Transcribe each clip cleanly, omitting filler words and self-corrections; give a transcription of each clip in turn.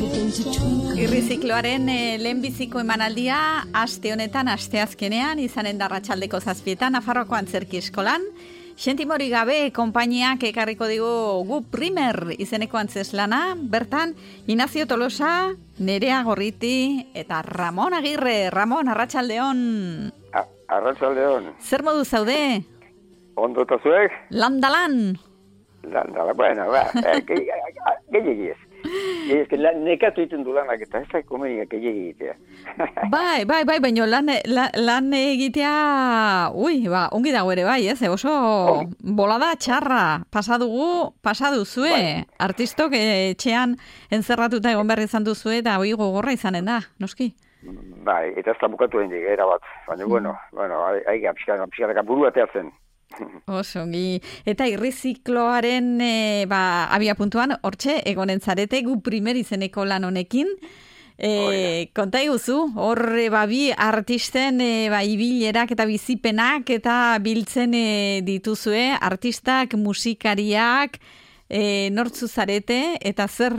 Irrizikloaren lehenbiziko emanaldia aste honetan, asteazkenean, izanen da arratsaldeko 7:00 Nafarroako Antzerki Eskolan. Xentimori gabe konpainiak ekarriko digu gu primer izeneko antzeslana, bertan Inazio Tolosa, Nerea Gorriti eta Ramon Agirre. Ramon, arratsaldeon. Arratsaldeon. Zer modu zaude? Ondo eta zuek? Landalan. Bueno, gehiagiz. Ez que nekatu egiten du lanak eta ez da komeniak egitea. Bai, baina lan egitea, ongi dago ere bai, ez? Oso bolada txarra pasaduzue. Bai. Artistok etxean entzerratuta egon behar izan duzue eta hoi gogorra izanen da, noski? Bai, eta ez da bukatu hendik, erabat. Baina, bueno, aiga, pixkanaka burua teatzen. Osongi. Eta irrizikloaren abia puntuan, hortxe, egonen zarete, gu primer izeneko lan honekin. Konta iguzu, horre bi artisten ibilerak eta bizipenak eta biltzen dituzue, artistak, musikariak, nortzu zarete, eta zer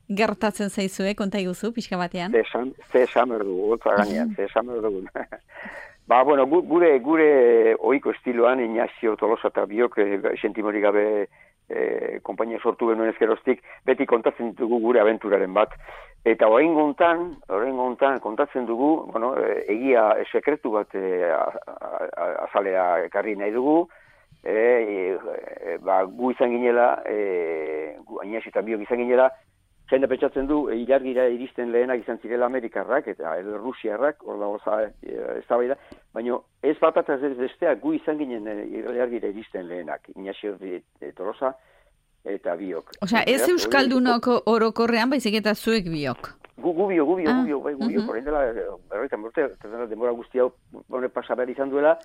gertatzen zaizue, konta iguzu, pixka batean? Ze esamer dugu, ze esamer dugu. Bueno, gure ohiko estiloan Inazio Tolosa eta biok Xentimori gabe konpainia sortu genuen ezkeroztik, beti kontatzen ditugu gure abenturaren bat. Eta orain gontan kontatzen dugu, egia sekretu bat azalea ekarri nahi dugu, gu izan ginela, Inazio eta biok izan ginela, jende pentsatzen du, ilargira iristen lehenak izan zirela Amerikarrak eta Rusiarrak, hor dago eztabaida, baina ez bat eta ez besteak gu izan ginen ilargira iristen lehenak, Inazio Tolosa eta biok. Osea, ez euskaldunok orokorrean, baizik eta zuek biok? Gu biok, horrein dela, berroitan urte, denbora guzti hau pasa behar izan duela,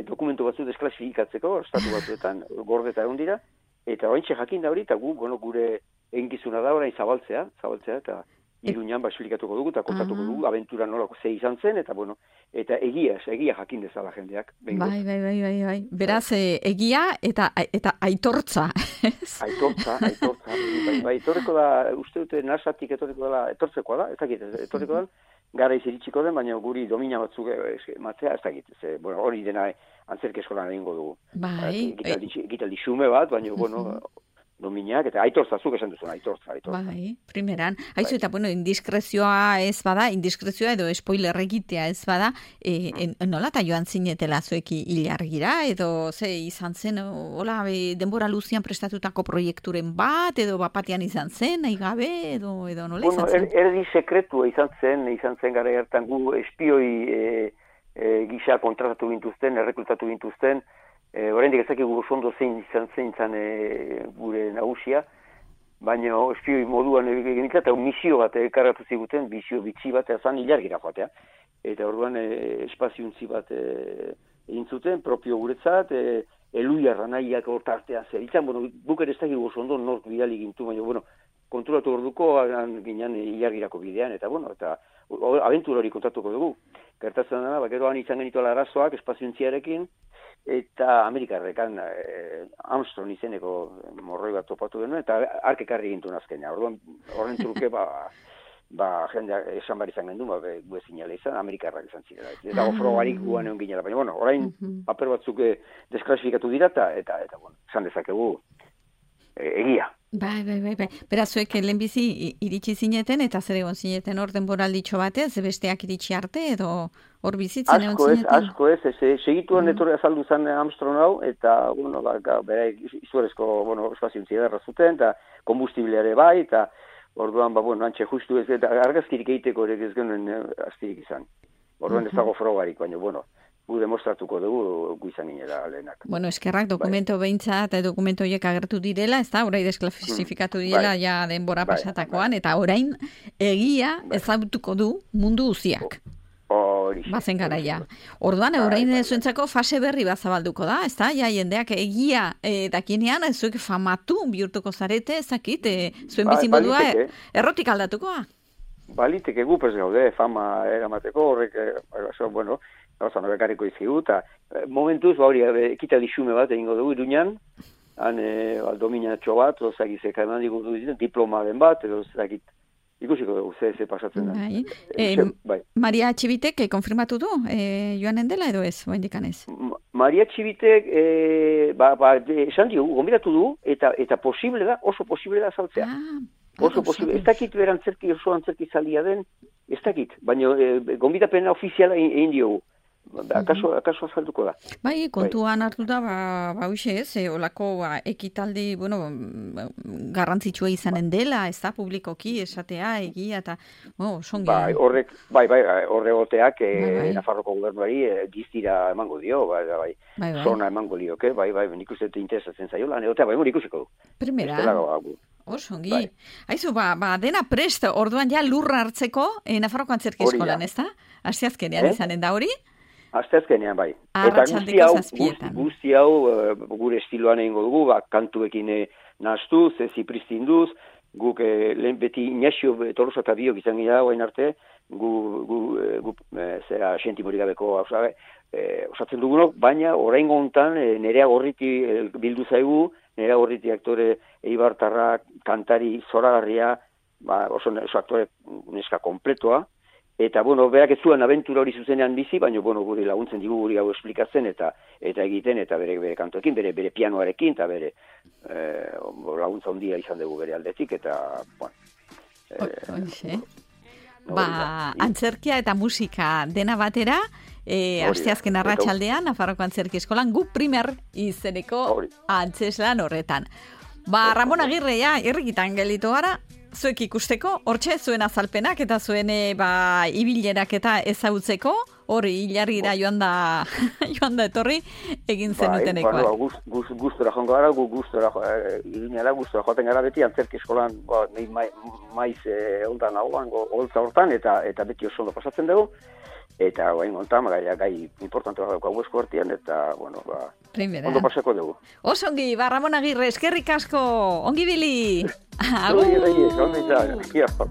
dokumentu batzu desklasifikatzeko, estatu batzuetan gordeta egon dira, eta oraintxe jakin da hori, eta gure eginkizuna da orain zabaltzea, eta Iruñan esplikatuko dugu, eta kontatuko dugu, abentura nolako ze izan zen, eta egia jakin dezala jendeak. Bai. Beraz, egia eta aitortza. Aitortza. Bai, etorreko da, uste dute nasatik etortzekoa da, ez dakit, etorreko da, gara iziritsiko den, baina guri domina batzuk matzea, ez dakit, hori dena Antzerki Eskolan egingo dugu. Bai. Gitaldi xume bat, baina, dominak, eta aitortza, zuk esan duzun, aitortza. Bai, primeran. Haizu, eta, indiskrezioa ez bada, indiskrezioa edo spoiler egitea ez bada, nola eta joan zinetela zueki ilargira, edo ze izan zen, hola, denbora luzian prestatutako proiekturen bat, edo bapatian izan zen, nahi gabe, edo nola izan zen? Erdi sekretua izan zen gara hartan gu espioi gisa kontratatu gintuzten, errekrutatu gintuzten, oraindik ezakigu oso zein izan gure nagusia, baina espioi moduan egin eta misio bat ekarratu ziguten, misio bitxi bat ezan ilargira joatea. Eta orduan espaziontzi bat egin zuten, propio guretzat, eluiarra nahiak hortartean zer. Itzan, buk ere ez dakigu oso ondo nork bidali gintu, baina, konturatu orduko ginen ilargirako bidean, eta abentura hori kontatuko dugu. Gertatzen dena, geroan izan genituela arazoak espaziontziarekin, eta Amerikarrekan Armstrong izeneko morroi bat topatu genuen, eta arkekarri gintuen azkenean. Horren truke, jendea esan behar izan gendu, gu ezin jala izan, Amerikarrak izan zirela. Eta ofrogarik guan egon ginela. Baina, orain paper batzuk desklasifikatu dira, eta esan dezakegu egia. Bai. Beraz, zuek lehenbizi iritsi zineten, eta zer egon zineten hor denboralditxo batez, besteak iritsi arte, edo hor bizitzen egon zineten? Asko ez, segituan etorri azaldu zen Armstrong hau, eta, bera izugarezko, espaziontzia derra zuten, eta kombustibleare bai, eta orduan, antxe justu ez, eta argazkirik egiteko ere ez genuen astirik izan. Orduan ez dago frogarik, baina, gu demostratuko dugu gu izan ginela lehenak. Eskerrak dokumento behintzat eta dokumento horiek agertu direla, ez da, orain desklasifikatu direla ja denbora pasatakoan, eta orain egia ezagutuko du mundu guziak. Bazen garaia. Orduan, orain zuentzako fase berri bat zabalduko da, ez da, jendeak egia dakinean, zuek famatu bihurtuko zarete, ezakit, zuen bizimodua errotik aldatukoa. Baliteke gu prez gaude, fama eramateko, horrek, gauza nobekarriko izkigu, eta momentuz, ekitaldi xume bat egingo dugu Iruñan, han dominatxo bat, ozakizek eman digu diploma den bat, edo ezakit ikusiko dugu, ze pasatzen da. Bai. Maria Txibitek konfirmatu du, joanen dela edo ez, oaindikan ez? Maria Txibitek, esan diogu, gombidatu du, eta posible da, oso posible da saltzea. Oso posible, ez dakit oso antzerki zalia den, ez dakit, baina gombidapena ofiziala egin diogu. Akaso azalduko da. Bai, kontuan hartu da, hoxe ez, olako ekitaldi, garrantzitsua izanen dela, ez da, publikoki, esatea, egia, eta, songi. Horre goteak, Nafarroko gobernuari giztira emango dio, zona emango lioke, nik uste interesatzen zaiola, nik ikusiko du. Primera. Songi. Aizu, dena prest, orduan ja lurra hartzeko, Nafarroko Antzerki Eskolan, ez da? Asteazkenean izanen da hori? Asteazkenean, bai. Eta guzti hau gure estiloan egingo dugu, kantuekin nahaztuz, zipristinduz, guk lehen beti Inaxio Tolosa eta biok izan gira guain arte, gu zera sentimori gabeko osatzen dugunok, baina oraingo hontan Nerea Gorriti bildu zaigu, Nerea Gorriti aktore eibartarra, kantari zoragarria, oso aktore neska kompletoa, eta, berak ez zuen abentura hori zuzenean bizi, baina, guri laguntzen digu guri hau esplikatzen, eta egiten, eta bere kantoekin, bere pianoarekin, eta bere laguntza handia izan dugu bere aldetik, eta, antzerkia eta musika dena batera, asteazken arratsaldean Nafarroko Antzerki Eskolan, gu primer izeneko antzeslan horretan. Ramon Agirre, irrikitan gelditu gara, zuek ikusteko, hortxe zuen azalpenak eta zuen ibilerak eta ezagutzeko, hori hilargira joan da etorri egin zenutenekoa. Gustora joango gara, gustora joaten gara beti Antzerki Eskolan maiz ondan hauan, holtza hortan, eta beti oso ondo pasatzen dugu. Eta guain ontan, gai importantua daukagu esku artean, eta, ondo pasako dugu. Osongi, Ramon Agirre, eskerrik asko, ongi bili! Agur!